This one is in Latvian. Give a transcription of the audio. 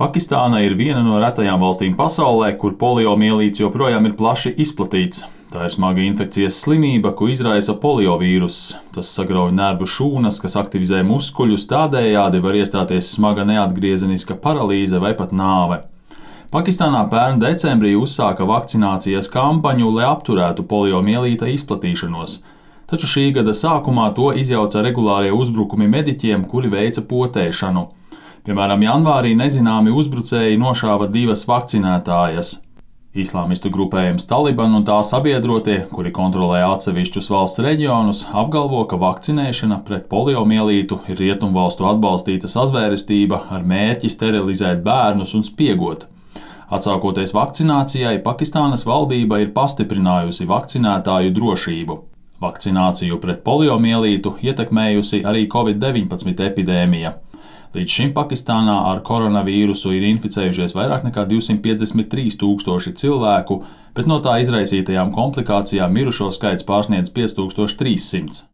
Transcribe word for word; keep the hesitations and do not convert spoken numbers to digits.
Pakistāna ir viena no retajām valstīm pasaulē, kur poliomielīts joprojām ir plaši izplatīts. Tā ir smaga infekcijas slimība, ko izraisa poliovīruss. Tas sagrauj nervu šūnas, kas aktivizē muskuļus, tādējādi var iestāties smaga neatgriezeniska paralīze vai pat nāve. Pakistānā pērn decembrī uzsāka vakcinācijas kampaņu, lai apturētu poliomielīta izplatīšanos. Taču šī gada sākumā to izjauca regulārie uzbrukumi mediķiem, kuri veica potēšanu. Piemēram, janvārī nezināmi uzbrucēji nošāva divas vakcinētājas. Islāmistu grupējums Taliban un tā sabiedrotie, kuri kontrolē atsevišķus valsts reģionus, apgalvo, ka vakcinēšana pret poliomielītu ir rietumvalstu atbalstīta sazvērestība ar mērķi sterilizēt bērnus un spiegot. Atsākoties vakcinācijai, Pakistānas valdība ir pastiprinājusi vakcinētāju drošību. Vakcināciju pret poliomielītu ietekmējusi arī covid deviņpadsmit epidēmija. Līdz šim Pakistānā ar koronavīrusu ir inficējušies vairāk nekā divsimt piecdesmit trīs tūkstoši cilvēku, bet no tā izraisītajām komplikācijām mirušo skaits pārsniedz pieci tūkstoši trīs simti.